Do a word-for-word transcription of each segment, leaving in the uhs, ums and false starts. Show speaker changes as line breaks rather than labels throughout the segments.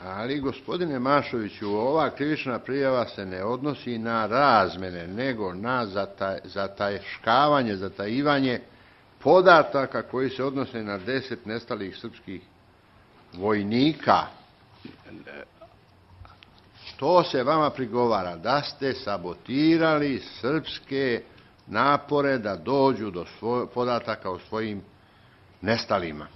Ali, gospodine Mašoviću, ova krivična prijava se ne odnosi na razmene, nego na zataj, zatajškavanje, zatajivanje podataka koji se odnose na deset nestalih srpskih vojnika. To se vama prigovara, da ste sabotirali srpske napore da dođu do svoj, podataka o svojim nestalima.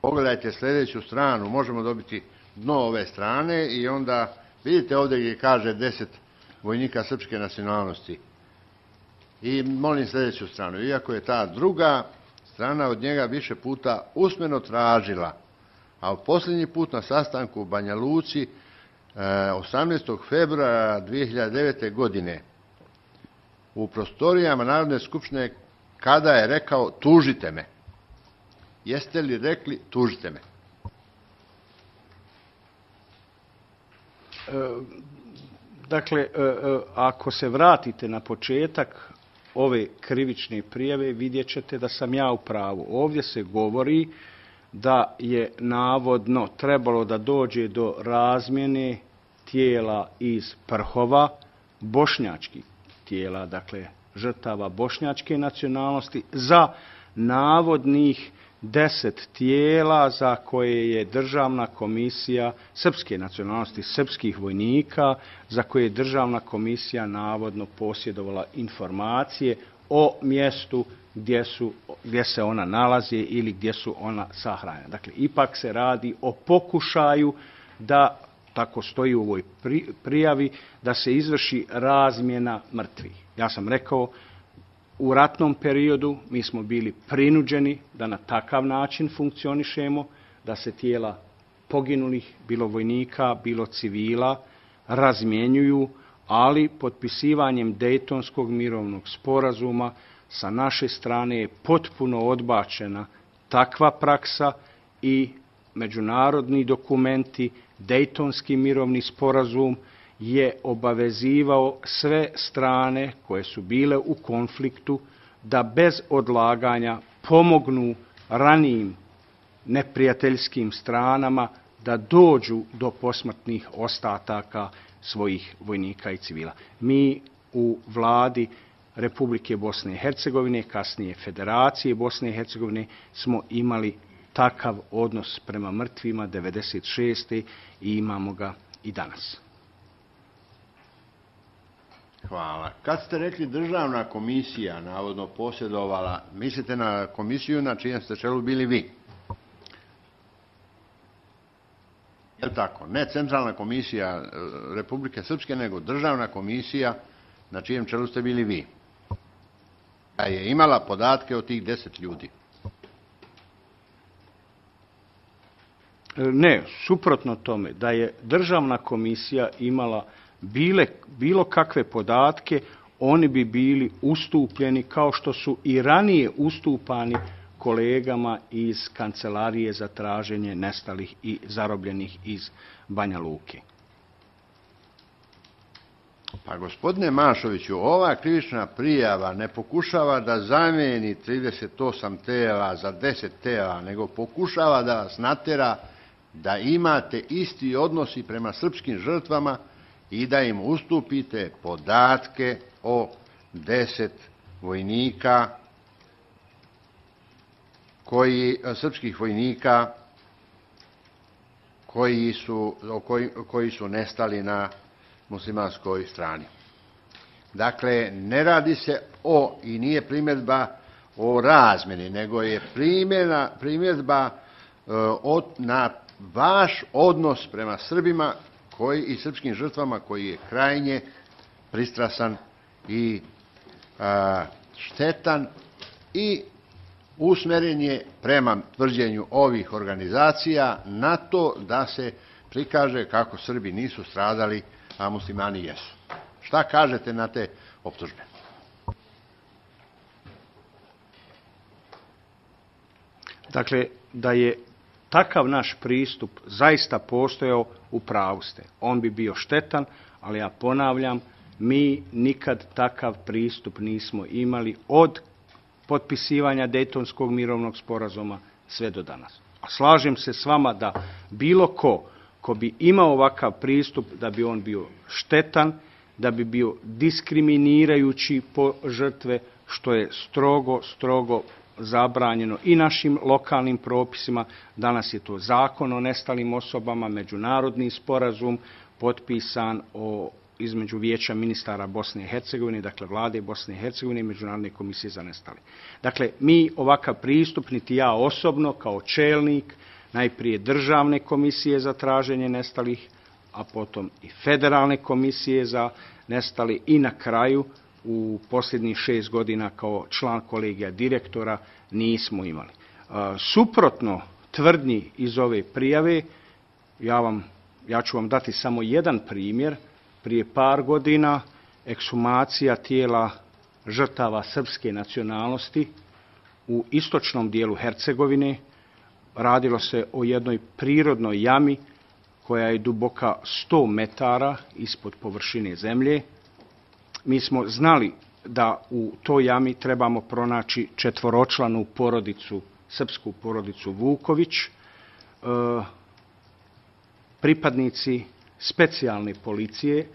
Pogledajte sljedeću stranu, možemo dobiti dno ove strane i onda vidite ovdje gdje kaže deset vojnika srpske nacionalnosti. I molim sljedeću stranu, iako je ta druga strana od njega više puta usmeno tražila, a posljednji put na sastanku u Banja Luci osamnaestog februara dvije hiljade devete. godine u prostorijama Narodne skupštine, kada je rekao tužite me. Jeste li rekli tužite me?
E, dakle, e, ako se vratite na početak ove krivične prijave, vidjet ćete da sam ja u pravu. Ovdje se govori da je navodno trebalo da dođe do razmjene tijela iz Prhova, bošnjačkih tijela, dakle žrtava bošnjačke nacionalnosti, za navodnih deset tijela za koje je državna komisija srpske nacionalnosti, srpskih vojnika, za koje je državna komisija navodno posjedovala informacije o mjestu gdje, su, gdje se ona nalazi ili gdje su ona sahranjena. Dakle, ipak se radi o pokušaju da, tako stoji u ovoj prijavi, da se izvrši razmjena mrtvih. Ja sam rekao, u ratnom periodu mi smo bili prinuđeni da na takav način funkcionišemo, da se tijela poginulih, bilo vojnika, bilo civila, razmjenjuju, ali potpisivanjem Dejtonskog mirovnog sporazuma sa naše strane je potpuno odbačena takva praksa i međunarodni dokumenti, Dejtonski mirovni sporazum je obavezivao sve strane koje su bile u konfliktu da bez odlaganja pomognu ranijim neprijateljskim stranama da dođu do posmrtnih ostataka svojih vojnika i civila. Mi u vladi Republike Bosne i Hercegovine, kasnije Federacije Bosne i Hercegovine, smo imali takav odnos prema mrtvima devedeset šeste. i imamo ga i danas.
Hvala. Kad ste rekli državna komisija navodno posjedovala, mislite na komisiju na čijem ste čelu bili vi? Je li tako? Ne centralna komisija Republike Srpske, nego državna komisija na čijem čelu ste bili vi. A je imala podatke o tih deset ljudi?
Ne, suprotno tome, da je državna komisija imala bile, bilo kakve podatke, oni bi bili ustupljeni kao što su i ranije ustupani kolegama iz Kancelarije za traženje nestalih i zarobljenih iz Banja Luke.
Pa gospodine Mašoviću, ova krivična prijava ne pokušava da zamijeni trideset osam tela za deset tela, nego pokušava da vas natjera da imate isti odnosi prema srpskim žrtvama i da im ustupite podatke o deset vojnika, koji, srpskih vojnika koji su, koji, koji su nestali na muslimanskoj strani. Dakle, ne radi se o, i nije primjedba o razmjeni, nego je primjena, primjedba e, od, na vaš odnos prema Srbima koji, i srpskim žrtvama koji je krajnje pristrasan i a, štetan i usmjeren je prema tvrđenju ovih organizacija na to da se prikaže kako Srbi nisu stradali, a muslimani jesu. Šta kažete na te optužbe?
Dakle, da je takav naš pristup zaista postojao, u pravu ste. On bi bio štetan, ali ja ponavljam, mi nikad takav pristup nismo imali od potpisivanja Dejtonskog mirovnog sporazuma sve do danas. A slažem se s vama da bilo ko, ko bi imao ovakav pristup, da bi on bio štetan, da bi bio diskriminirajući po žrtve, što je strogo, strogo zabranjeno i našim lokalnim propisima. Danas je to Zakon o nestalim osobama, međunarodni sporazum potpisan o, između Vijeća ministara Bosne i Hercegovine, dakle Vlade Bosne i Hercegovine i Međunarodne komisije za nestali. Dakle, mi ovakav pristup, niti ja osobno kao čelnik, najprije Državne komisije za traženje nestalih, a potom i Federalne komisije za nestali i na kraju u posljednjih šest godina kao član kolegija direktora nismo imali. Suprotno tvrdnji iz ove prijave, ja, vam, ja ću vam dati samo jedan primjer. Prije par godina ekshumacija tijela žrtava srpske nacionalnosti u istočnom dijelu Hercegovine. Radilo se o jednoj prirodnoj jami koja je duboka sto metara ispod površine zemlje. Mi smo znali da u toj jami trebamo pronaći četvoročlanu porodicu, srpsku porodicu Vuković. E, pripadnici specijalne policije,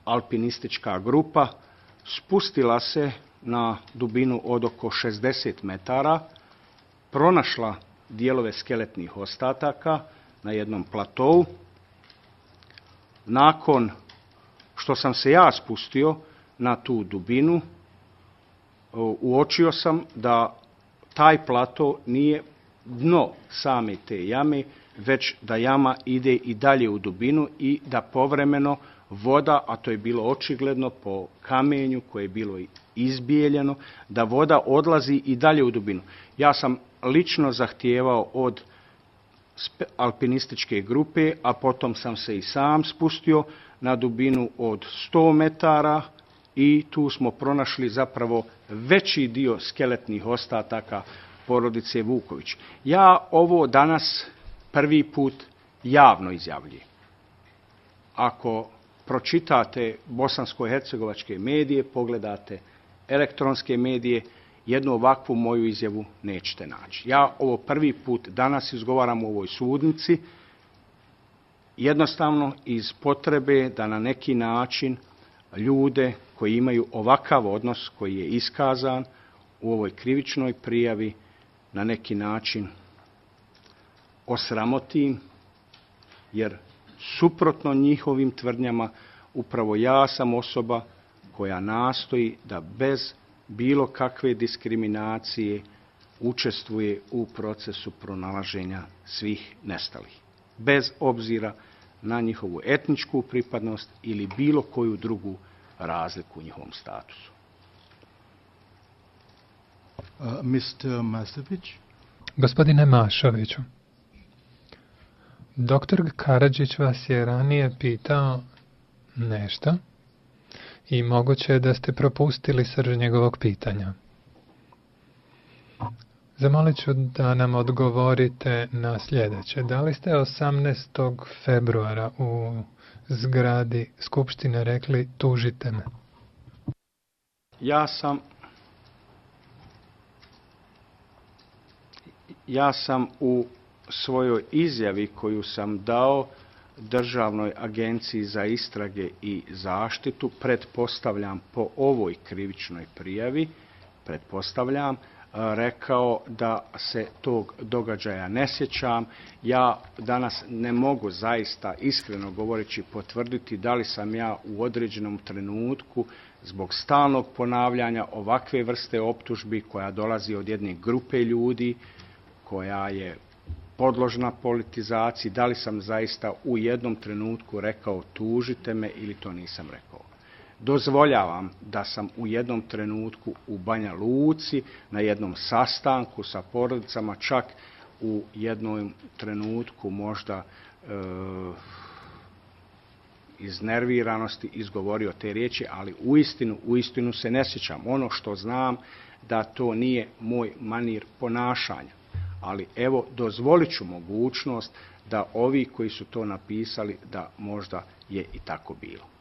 alpinistička grupa, spustila se na dubinu od oko šezdeset metara, pronašla dijelove skeletnih ostataka na jednom platovu. Nakon što sam se ja spustio na tu dubinu, uočio sam da taj plato nije dno same te jame, već da jama ide i dalje u dubinu i da povremeno voda, a to je bilo očigledno po kamenju koje je bilo izbijeljeno, da voda odlazi i dalje u dubinu. Ja sam lično zahtijevao od alpinističke grupe, a potom sam se i sam spustio na dubinu od sto metara i tu smo pronašli zapravo veći dio skeletnih ostataka porodice Vuković. Ja ovo danas prvi put javno izjavljujem. Ako pročitate bosansko-hercegovačke medije, pogledate elektronske medije, jednu ovakvu moju izjavu nećete naći. Ja ovo prvi put danas izgovaram u ovoj sudnici, jednostavno iz potrebe da na neki način ljude koji imaju ovakav odnos koji je iskazan u ovoj krivičnoj prijavi na neki način osramotim, jer suprotno njihovim tvrdnjama upravo ja sam osoba koja nastoji da bez bilo kakve diskriminacije učestvuje u procesu pronalaženja svih nestalih, bez obzira na njihovu etničku pripadnost ili bilo koju drugu razliku u njihovom statusu.
Uh, mister Mašović?
Gospodine Mašoviću, doktor Karadžić vas je ranije pitao nešto i moguće je da ste propustili srž njegovog pitanja. Zamolit ću da nam odgovorite na sljedeće. Da li ste osamnaestog februara u zgradi Skupštine rekli tužite me?
Ja sam ja sam u svojoj izjavi koju sam dao Državnoj agenciji za istrage i zaštitu, pretpostavljam po ovoj krivičnoj prijavi, pretpostavljam, rekao da se tog događaja ne sjećam. Ja danas ne mogu zaista iskreno govoreći potvrditi da li sam ja u određenom trenutku zbog stalnog ponavljanja ovakve vrste optužbi koja dolazi od jedne grupe ljudi koja je podložna politizaciji, da li sam zaista u jednom trenutku rekao tužite me ili to nisam rekao. Dozvoljavam da sam u jednom trenutku u Banja Luci na jednom sastanku sa porodicama, čak u jednom trenutku možda e, iznerviranosti izgovorio te riječi, ali uistinu, uistinu se ne sjećam. Ono što znam da to nije moj manir ponašanja. Ali evo, dozvolit ću mogućnost da ovi koji su to napisali, da možda je i tako bilo.